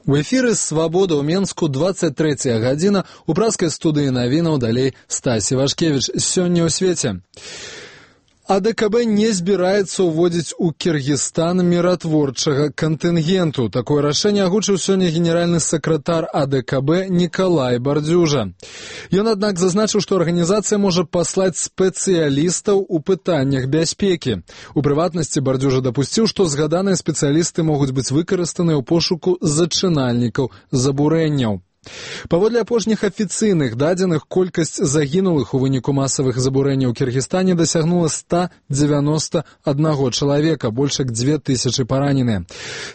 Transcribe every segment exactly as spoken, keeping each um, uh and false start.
У эфіры «Свабода» ў Менску, двадцать третья гадзіна, у праскай студыі навінаў далей Стасі Вашкевіч. Сёння ў свеце. А Дэ Ка Бэ не збіраецца ўводзіць у Кіргізстан міратворчага кантынгенту. Такое рашэнне агучыў сёння генеральны сакратар А Дэ Ка Бэ Нікалай Бардзюжа. Ён, аднак, зазначыў, што арганізацыя можа паслаць спецыялістаў у пытаннях бяспекі. У прыватнасці Бардзюжа дапусціў, што згаданыя спецыялісты могуць быць выкарыстаныя ў пошуку зачынальнікаў забурэнняў. Паводле апошніх афіцыйных дадзеных, колькасць загінулых у выніку масавых забурэнняў у Кіргізстане дасягнула ста дзевяноста аднаго чалавека, больш як дзве тысячы параненыя.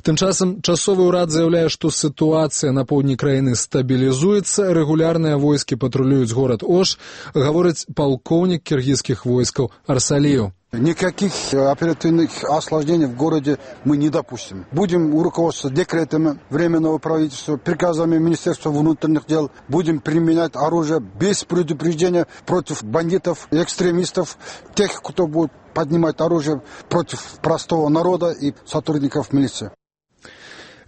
Тым часам часовы ўрад заяўляе, што сітуацыя на поўдні краіны стабілізуецца, рэгулярныя войскі патрулююць горад Ош, гаворыць палкоўнік кіргізскіх войскаў Арсаліеў. Никаких оперативных осложнений в городе мы не допустим. Будем руководствоваться декретами Временного правительства, приказами Министерства внутренних дел. Будем применять оружие без предупреждения против бандитов, экстремистов, тех, кто будет поднимать оружие против простого народа и сотрудников милиции.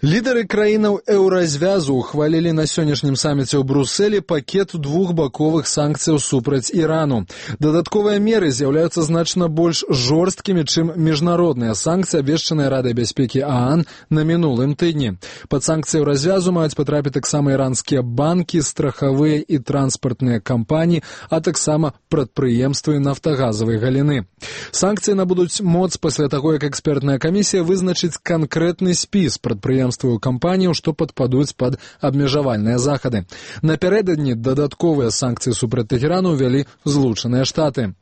Лідары краінаў еўразвязу ухвалілі на сённяшнім саміце ў Брусэлі пакет двухбаковых санкцыяў супраць Ірану. Дадатковыя меры з'яўляюцца значна больш жорсткімі, чым міжнародныя санкцыі, абвешчаныя Радай бяспекі ААН на мінулым тыдні. Пад санкцыяў развязу маюць патрапіць таксама іранскія банкі, страхавыя і транспартныя кампаніі, а таксама прадпрыемствы нафтагазавай галіны. Санкцыі набудуць моц пасля таго, як экспертная камісія вызначыць канкрэтны спіс прадпрыемстваў кампаніяў, што падпадуць пад абмежавальныя захады. Напярэдадні дадатковыя санкцыі супраць Тэхерану ўвялі Злучаныя Штаты.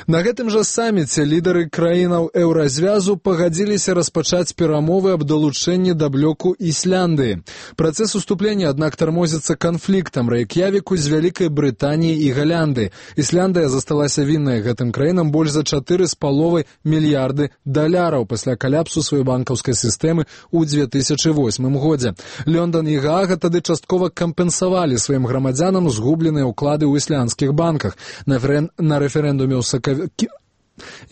На гэтым жа саміце лідары краінаў еўразвязу пагадзіліся распачаць перамовы аб далучэнні да блоку Ісляндыі. Працэс уступлення, аднак, тармозіцца канфліктам Рэйк'явіку з Вялікай Брытаніяй і Галянды. Ісляндыя засталася віннай гэтым краінам больш за чатыры з паловай мільярды даляраў пасля каляпсу сваёй банкаўскай сістэмы ў дзве тысячы восьмым годзе. Лёндан і Гаага тады часткова кампенсавалі сваім грамадзянам згубленыя ўклады ў ісландскіх банках. На, на рэферэндуме ў сакавіку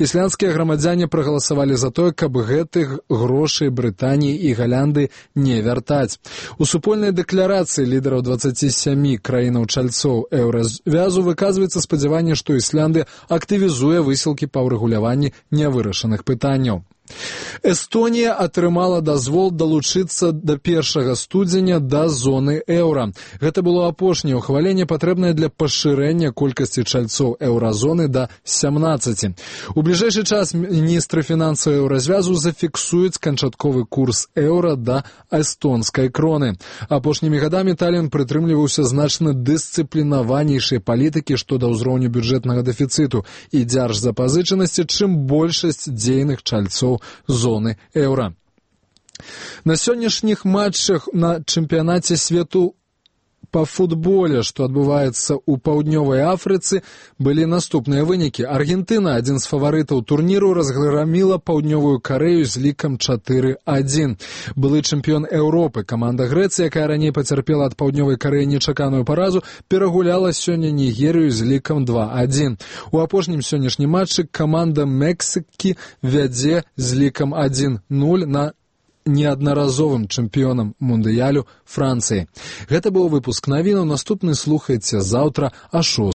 ісландскія грамадзяне прагаласавалі за тое, каб гэтых грошай Брытаніі і Галянды не вяртаць. У супольнай дэкларацыі лідараў дваццаці сямі краінаў-чальцоў еўразвязу выказваецца спадзяванне, што Ісляндыя актывізуе высілкі па ўрэгуляванні нявырашаных пытанняў. Эстонія атрымала дазвол далучыцца да першага студзеня да зоны еўра. Гэта было апошняе ўхваленне, патрэбнае для пашырэння колькасці чальцоў еўразоны да сямнаццаці. У бліжэйшы час міністры фінансаў еўразвязу зафіксуюць канчатковы курс еўра да эстонскай кроны. Апошнімі гадамі Талін прытрымліваўся значна дысцыплінаванейшай палітыкі што да ўзроўню бюджэтнага дэфіцыту і дзяржзапазычанасці, чым большасць дзейных чальцоў зоны еўра. На сённяшніх матчах на чэмпіянаце свету па футболе, што адбываецца ў паўднёвай Афрыцы, былі наступныя вынікі. Аргентына, адзін з фаварытаў турніру, разграміла паўднёвую Карэю з лікам чатыры адзін. Былы чэмпіён Еўропы, каманда Грэцыі, якая раней пацярпела ад паўднёвай Карэі нечаканую паразу, перагуляла сёння Нігерыю з лікам два адзін. У апошнім сённяшнім матчы каманда Мексікі вядзе з лікам адзін нуль на неаднаразовым чэмпіёнам мундыялю Францыі. Гэта быў выпуск навінаў. Наступны слухайце заўтра а шостай.